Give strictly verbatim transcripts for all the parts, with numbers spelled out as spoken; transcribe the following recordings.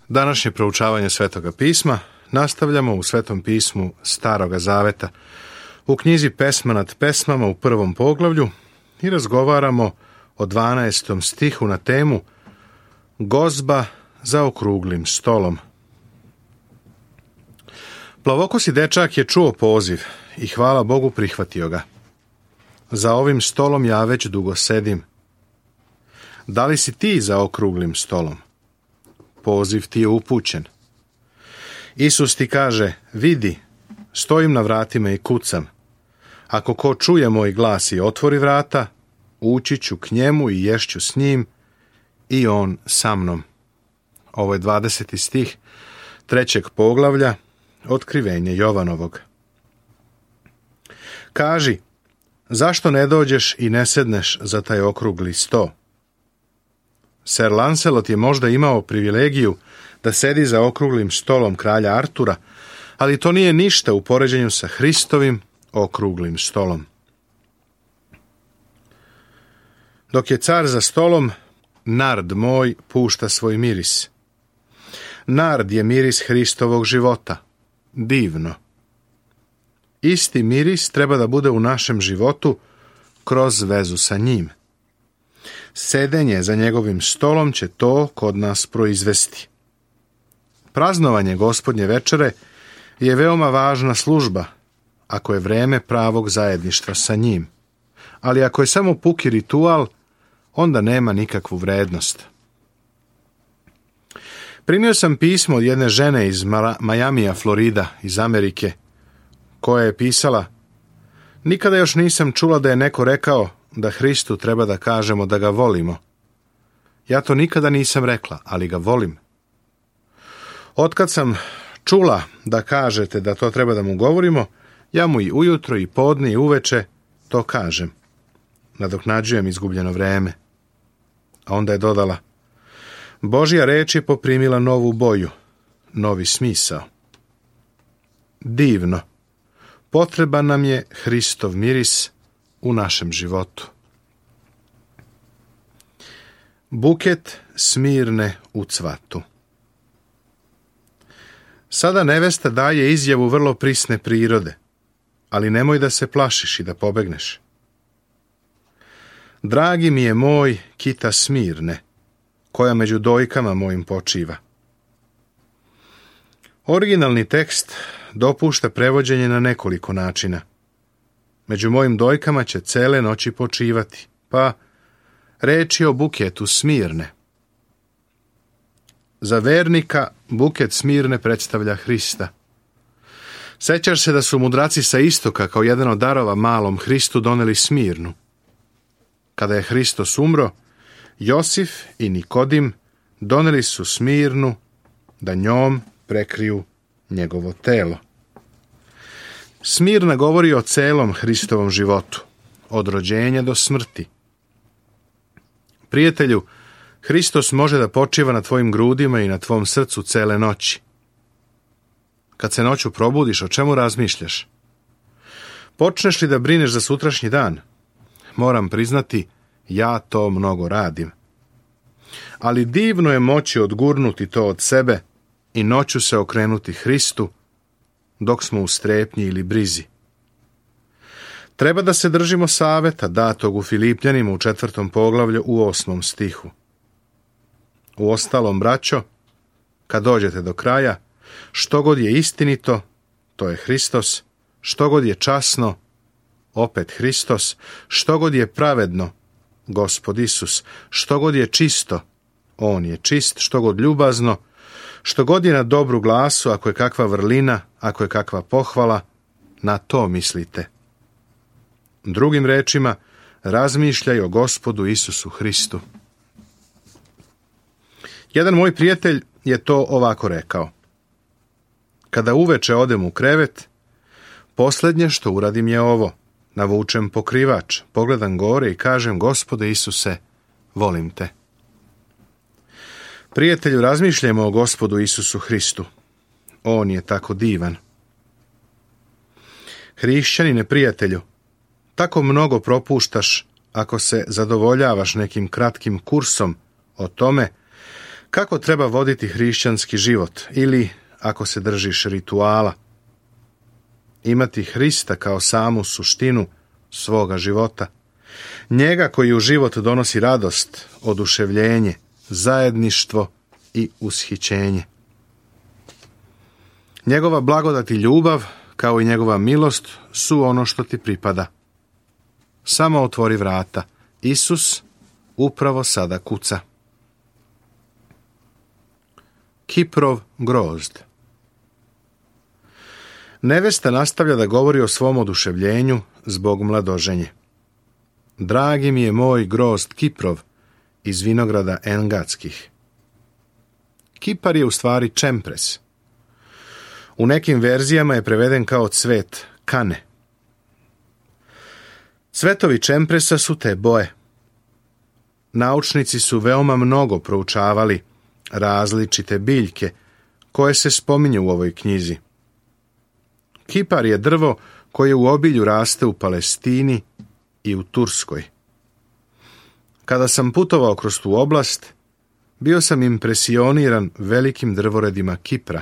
Današnje proučavanje Svetoga pisma nastavljamo u Svetom pismu Staroga zaveta, u knjizi Pesma nad pesmama u prvom poglavlju i razgovaramo o dvanaestom stihu na temu Gozba za okruglim stolom. Plavokosi dečak je čuo poziv i hvala Bogu prihvatio ga. Za ovim stolom ja već dugo sedim. Da li si ti za okruglim stolom? Poziv ti je upućen. Isus ti kaže, vidi, stojim na vratima i kucam. Ako ko čuje moj glas i otvori vrata, ući ću k njemu i ješću s njim i on sa mnom. Ovo je dvadeseti stih trećeg poglavlja Otkrivenje Jovanovog. Kaži, zašto ne dođeš i ne sedneš za taj okrugli sto? Ser Lancelot je možda imao privilegiju da sedi za okruglim stolom kralja Artura, ali to nije ništa u poređenju sa Hristovim okruglim stolom. Dok je car za stolom, nard moj pušta svoj miris. Nard je miris Hristovog života. Divno. Isti miris treba da bude u našem životu kroz vezu sa njim. Sedenje za njegovim stolom će to kod nas proizvesti. Praznovanje Gospodnje večere je veoma važna služba, ako je vreme pravog zajedništva sa njim. Ali ako je samo puki ritual, onda nema nikakvu vrednost. Primio sam pismo od jedne žene iz Majamija, Florida, iz Amerike, koja je pisala: nikada još nisam čula da je neko rekao da Hristu treba da kažemo da ga volimo. Ja to nikada nisam rekla, ali ga volim. Otkad sam čula da kažete da to treba da mu govorimo, ja mu i ujutro i podne i uveče to kažem. Nadoknađujem izgubljeno vreme. A onda je dodala: Božja reč je poprimila novu boju, novi smisao. Divno. Potreban nam je Hristov miris u našem životu. Buket Smirne u cvatu. Sada nevesta daje izjavu vrlo prisne prirode, ali nemoj da se plašiš i da pobegneš. Dragi mi je moj kita Smirne, koja među dojkama mojim počiva. Originalni tekst dopušta prevođenje na nekoliko načina. Među mojim dojkama će cele noći počivati, pa reč je o buketu Smirne. Za vernika buket Smirne predstavlja Hrista. Sećaš se da su mudraci sa istoka kao jedan od darova malom Hristu doneli Smirnu. Kada je Hristos umro, Josif i Nikodim doneli su Smirnu da njom prekriju njegovo telo. Smirna govori o celom Hristovom životu, od rođenja do smrti. Prijatelju, Hristos može da počiva na tvojim grudima i na tvom srcu cele noći. Kad se noću probudiš, o čemu razmišljaš? Počneš li da brineš za sutrašnji dan? Moram priznati, ja to mnogo radim. Ali divno je moći odgurnuti to od sebe i noću se okrenuti Hristu dok smo u strepnji ili brizi. Treba da se držimo saveta datog u Filipljanima u četvrtom poglavlju u osmom stihu. Uostalom, braćo, kad dođete do kraja, što god je istinito, to je Hristos, što god je časno, opet Hristos, što god je pravedno, Gospod Isus, što god je čisto, on je čist, što god ljubazno, što god je na dobru glasu, ako je kakva vrlina, ako je kakva pohvala, na to mislite. Drugim rečima, razmišljaj o Gospodu Isusu Hristu. Jedan moj prijatelj je to ovako rekao: kada uveče odem u krevet, posljednje što uradim je ovo: navučem pokrivač, pogledam gore i kažem: Gospode Isuse, volim te. Prijatelju, razmišljajmo o Gospodu Isusu Hristu. On je tako divan. Hrišćanine, prijatelju, tako mnogo propuštaš ako se zadovoljavaš nekim kratkim kursom o tome Kako treba voditi hrišćanski život ili, ako se držiš rituala, imati Hrista kao samu suštinu svoga života, njega koji u život donosi radost, oduševljenje, zajedništvo i ushićenje. Njegova blagodat i ljubav, kao i njegova milost, su ono što ti pripada. Samo otvori vrata. Isus upravo sada kuca. Kiprov grozd. Nevesta nastavlja da govori o svom oduševljenju zbog mladoženje. Dragi mi je moj grozd Kiprov iz vinograda Engadskih. Kipar je u stvari čempres. U nekim verzijama je preveden kao cvet kane. Cvetovi čempresa su te boje. Naučnici su veoma mnogo proučavali različite biljke koje se spominju u ovoj knjizi. Kipar je drvo koje u obilju raste u Palestini i u Turskoj. Kada sam putovao kroz tu oblast, bio sam impresioniran velikim drvoredima Kipra.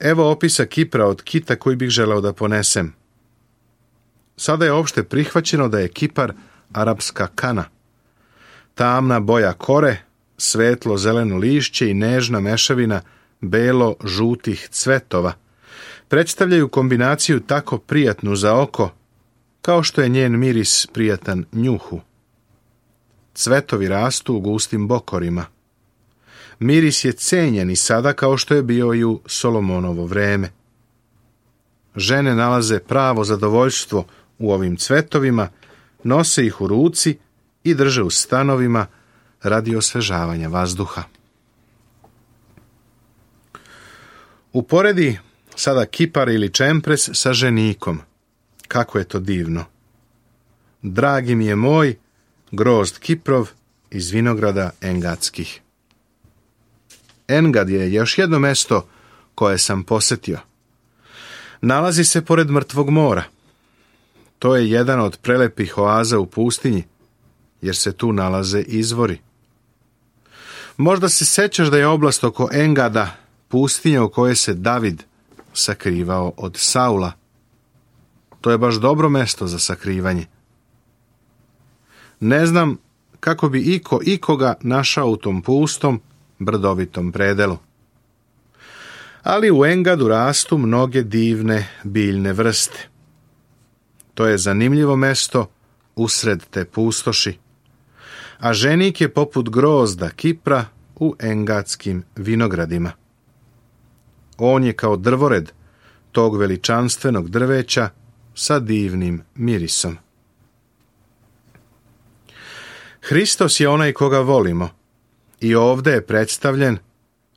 Evo opisa Kipra od kita koji bih želeo da ponesem. Sada je opšte prihvaćeno da je Kipar arapska kana. Tamna boja kore, svetlo zeleno lišće i nežna mešavina belo-žutih cvetova predstavljaju kombinaciju tako prijatnu za oko, kao što je njen miris prijatan njuhu. Cvetovi rastu u gustim bokorima. Miris je cenjen i sada kao što je bio i u Solomonovo vreme. Žene nalaze pravo zadovoljstvo u ovim cvetovima, nose ih u ruci i drže u stanovima radi osvežavanja vazduha. Uporedi sada Kipar ili čempres sa ženikom. Kako je to divno. Dragi mi je moj grozd Kiprov iz vinograda Engadskih. Engad je još jedno mesto koje sam posetio. Nalazi se pored Mrtvog mora. To je jedan od prelepih oaza u pustinji, jer se tu nalaze izvori. Možda se sećaš da je oblast oko Engada pustinja u kojoj se David sakrivao od Saula. To je baš dobro mesto za sakrivanje. Ne znam kako bi iko ikoga našao u tom pustom, brdovitom predelu. Ali u Engadu rastu mnoge divne biljne vrste. To je zanimljivo mesto usred te pustoši. A ženik je poput grozda Kipra u engadskim vinogradima. On je kao drvored tog veličanstvenog drveća sa divnim mirisom. Hristos je onaj koga volimo i ovde je predstavljen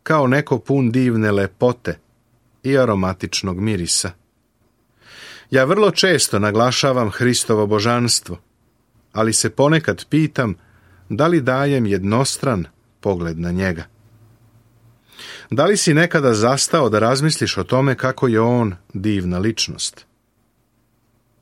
kao neko pun divne lepote i aromatičnog mirisa. Ja vrlo često naglašavam Hristovo božanstvo, ali se ponekad pitam da li dajem jednostran pogled na njega. Da li si nekada zastao da razmisliš o tome kako je on divna ličnost?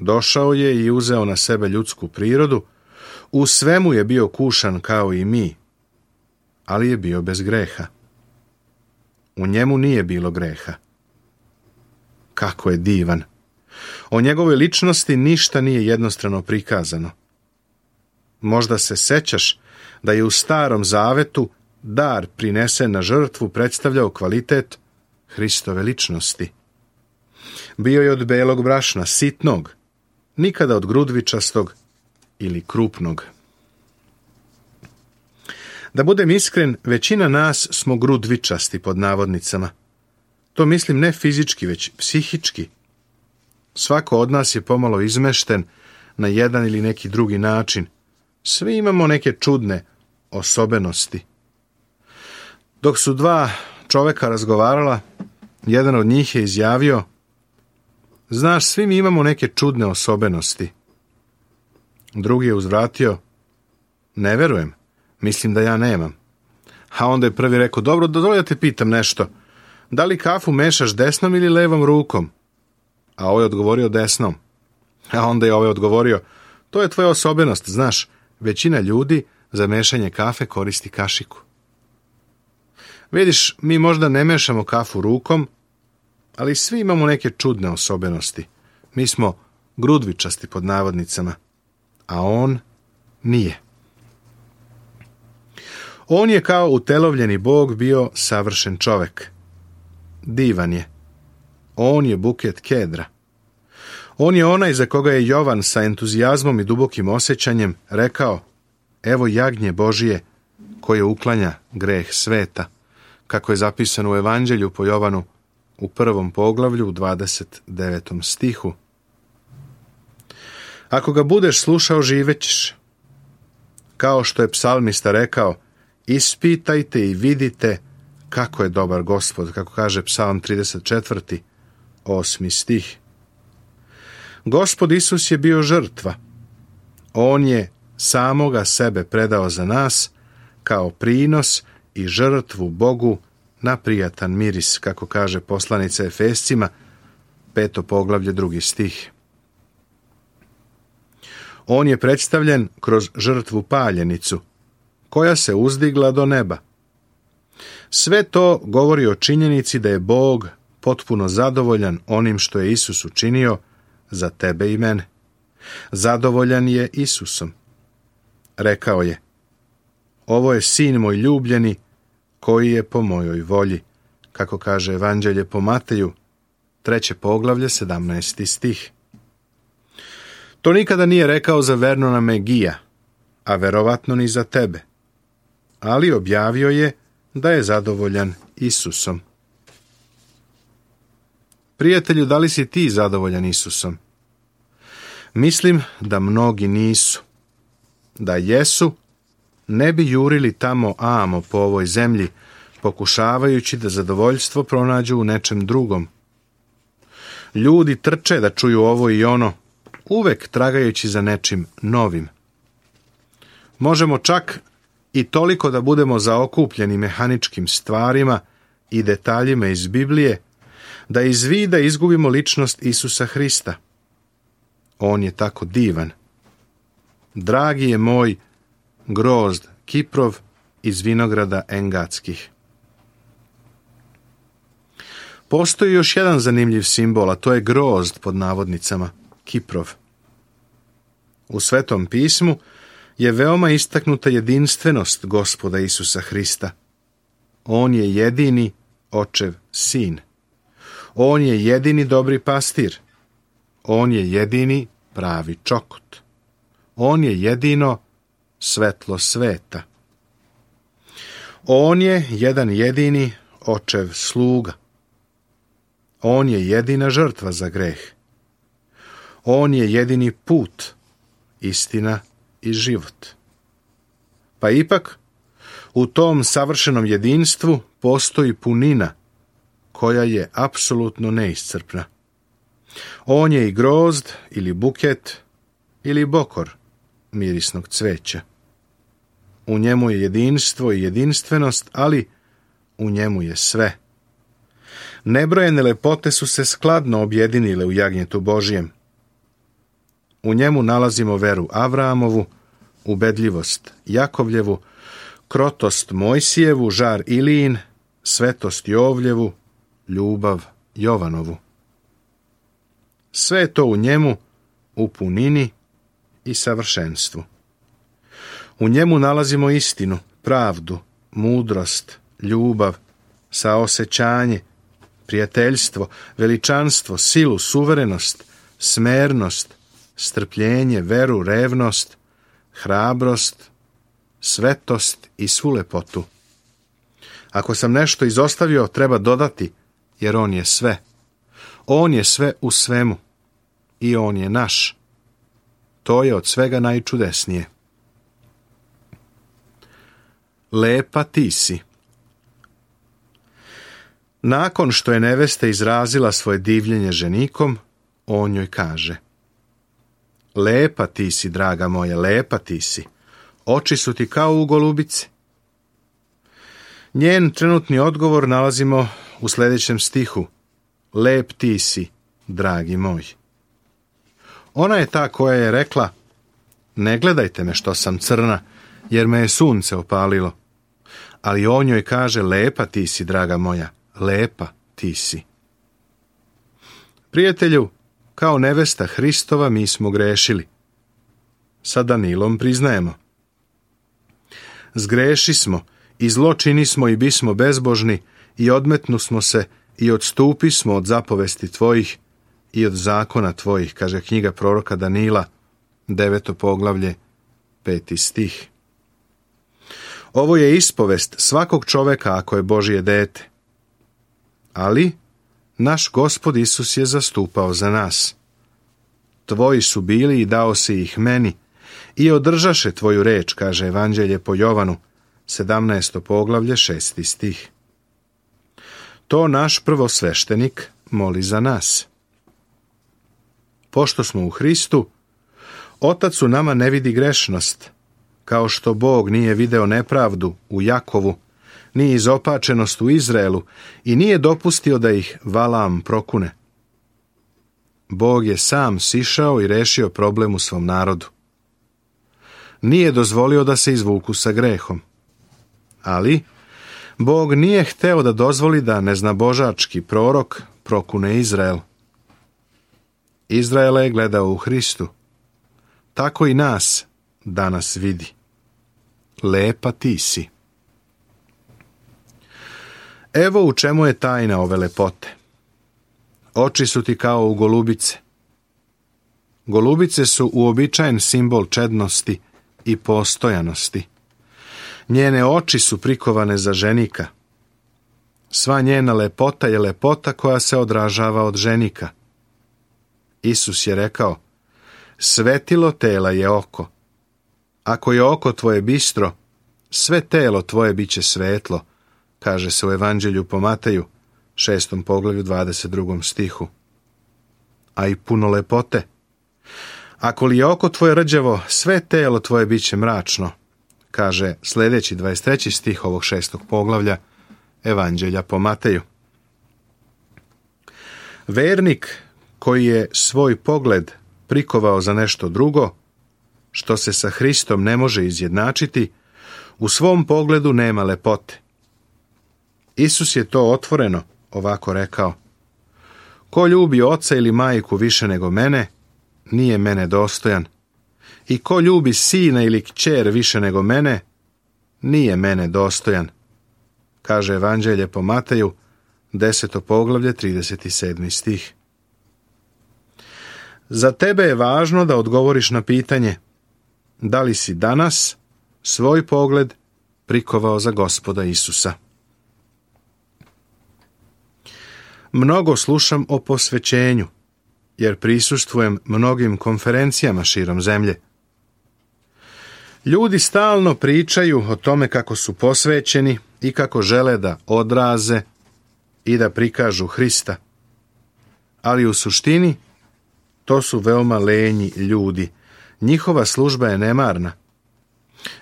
Došao je i uzeo na sebe ljudsku prirodu, u svemu je bio kušan kao i mi, ali je bio bez greha. U njemu nije bilo greha. Kako je divan! O njegovoj ličnosti ništa nije jednostrano prikazano. Možda se sećaš da je u Starom Zavetu dar prinesen na žrtvu predstavljao kvalitet Hristove ličnosti. Bio je od belog brašna, sitnog, nikada od grudvičastog ili krupnog. Da budem iskren, većina nas smo grudvičasti pod navodnicama. To mislim ne fizički, već psihički. Svako od nas je pomalo izmešten na jedan ili neki drugi način. Svi imamo neke čudne osobenosti. Dok su dva čoveka razgovarala, jedan od njih je izjavio: znaš, svi mi imamo neke čudne osobenosti. Drugi je uzvratio: ne verujem, mislim da ja nemam. A onda je prvi rekao: dobro, dozvoli da te pitam nešto. Da li kafu mešaš desnom ili levom rukom? A ovaj je odgovorio desnom. A onda je ovaj odgovorio: to je tvoja osobenost, znaš, većina ljudi za mešanje kafe koristi kašiku. Vidiš, mi možda ne mešamo kafu rukom, ali svi imamo neke čudne osobenosti. Mi smo grudvičasti pod navodnicama, a on nije. On je kao utelovljeni Bog bio savršen čovek. Divan je. On je buket kedra. On je onaj za koga je Jovan sa entuzijazmom i dubokim osjećanjem rekao: evo jagnje Božije koje uklanja greh sveta, kako je zapisano u Evanđelju po Jovanu u prvom poglavlju u dvadeset devetom stihu. Ako ga budeš slušao, živećeš. Kao što je psalmista rekao: ispitajte i vidite kako je dobar Gospod, kako kaže Psalm trideset četvrti, osmi stih. Gospod Isus je bio žrtva. On je samoga sebe predao za nas kao prinos i žrtvu Bogu na prijatan miris, kako kaže poslanica Efescima, peto poglavlje, drugi stih. On je predstavljen kroz žrtvu paljenicu, koja se uzdigla do neba. Sve to govori o činjenici da je Bog potpuno zadovoljan onim što je Isus učinio za tebe i mene. Zadovoljan je Isusom. Rekao je: ovo je sin moj ljubljeni, koji je po mojoj volji, kako kaže Evanđelje po Mateju, treće poglavlje, sedamnaesti stih. To nikada nije rekao za Vernona Megija, a verovatno ni za tebe, ali objavio je da je zadovoljan Isusom. Prijatelju, da li si ti zadovoljan Isusom? Mislim da mnogi nisu. Da jesu, ne bi jurili tamo amo po ovoj zemlji, pokušavajući da zadovoljstvo pronađu u nečem drugom. Ljudi trče da čuju ovo i ono, uvek tragajući za nečim novim. Možemo čak i toliko da budemo zaokupljeni mehaničkim stvarima i detaljima iz Biblije, da iz vida izgubimo ličnost Isusa Hrista. On je tako divan. Dragi je moj grozd Kiprov iz vinograda Engatskih. Postoji još jedan zanimljiv simbol, a to je grozd pod navodnicama, Kiprov. U Svetom pismu je veoma istaknuta jedinstvenost Gospoda Isusa Hrista. On je jedini očev sin. On je jedini dobri pastir. On je jedini pravi čokot. On je jedino svetlo sveta. On je jedan jedini očev sluga. On je jedina žrtva za greh. On je jedini put, istina i život. Pa ipak, u tom savršenom jedinstvu postoji punina koja je apsolutno neiscrpna. On je i grozd ili buket ili bokor mirisnog cveća. U njemu je jedinstvo i jedinstvenost, ali u njemu je sve. Nebrojene lepote su se skladno objedinile u jagnjetu Božijem. U njemu nalazimo veru Avramovu, ubedljivost Jakovljevu, krotost Mojsijevu, žar Ilijin, svetost Jovljevu, ljubav Jovanovu. Sve je to u njemu, u punini i savršenstvu. U njemu nalazimo istinu, pravdu, mudrost, ljubav, saosećanje, prijateljstvo, veličanstvo, silu, suverenost, smernost, strpljenje, veru, revnost, hrabrost, svetost i svu lepotu. Ako sam nešto izostavio, treba dodati, jer on je sve. On je sve u svemu i on je naš. To je od svega najčudesnije. Lepa ti si. Nakon što je nevesta izrazila svoje divljenje ženikom, on joj kaže: lepa ti si, draga moja, lepa ti si. Oči su ti kao u golubici. Njen trenutni odgovor nalazimo u sljedećem stihu: lep ti si, dragi moj. Ona je ta koja je rekla: ne gledajte me što sam crna, jer me je sunce opalilo. Ali on njoj kaže, lepa ti si, draga moja, lepa ti si. Prijatelju, kao nevesta Hristova mi smo grešili. Sa Danilom priznajemo. Zgreši smo, i zlo čini smo i bismo bezbožni, i odmetnu smo se, i odstupi smo od zapovesti tvojih, i od zakona tvojih, kaže knjiga proroka Danila, deveto poglavlje, peti stih. Ovo je ispovest svakog čoveka ako je Božje dete. Ali naš Gospod Isus je zastupao za nas. Tvoji su bili i dao si ih meni, i održaše tvoju reč, kaže Evanđelje po Jovanu, sedamnaesto poglavlje, šesti stih. To naš prvosveštenik moli za nas. Pošto smo u Hristu, Otac u nama ne vidi grešnost, kao što Bog nije video nepravdu u Jakovu, ni izopačenost u Izraelu i nije dopustio da ih Valam prokune. Bog je sam sišao i rešio problem u svom narodu. Nije dozvolio da se izvuku sa grehom. Ali Bog nije hteo da dozvoli da neznabožački prorok prokune Izrael. Izraela je gledao u Hristu. Tako i nas danas vidi. Lepa ti si. Evo u čemu je tajna ove lepote. Oči su ti kao u golubice. Golubice su uobičajen simbol čednosti i postojanosti. Njene oči su prikovane za ženika. Sva njena lepota je lepota koja se odražava od ženika. Isus je rekao, svetilo tela je oko. Ako je oko tvoje bistro, sve telo tvoje bit će svetlo, kaže se u Evanđelju po Mateju, šestom poglavlju, dvadeset drugom stihu. A i puno lepote. Ako li je oko tvoje rđavo, sve telo tvoje bit će mračno, kaže sljedeći dvadeset treći stih ovog šestog poglavlja Evanđelja po Mateju. Vernik koji je svoj pogled prikovao za nešto drugo, što se sa Hristom ne može izjednačiti, u svom pogledu nema lepote. Isus je to otvoreno ovako rekao. Ko ljubi oca ili majku više nego mene, nije mene dostojan. I ko ljubi sina ili kćer više nego mene, nije mene dostojan, kaže Evanđelje po Mateju, deseto poglavlje, trideset sedmi stih. Za tebe je važno da odgovoriš na pitanje da li si danas svoj pogled prikovao za Gospoda Isusa. Mnogo slušam o posvećenju, jer prisustvujem mnogim konferencijama širom zemlje. Ljudi stalno pričaju o tome kako su posvećeni i kako žele da odraze i da prikažu Hrista. Ali u suštini to su veoma lenji ljudi. Njihova služba je nemarna.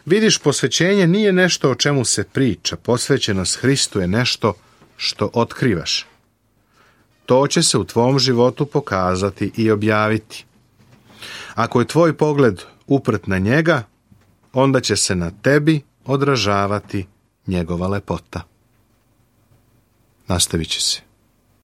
Vidiš, posvećenje nije nešto o čemu se priča. Posvećenost Hristu je nešto što otkrivaš. To će se u tvom životu pokazati i objaviti. Ako je tvoj pogled uprt na njega, onda će se na tebi odražavati njegova lepota. Nastavit će se.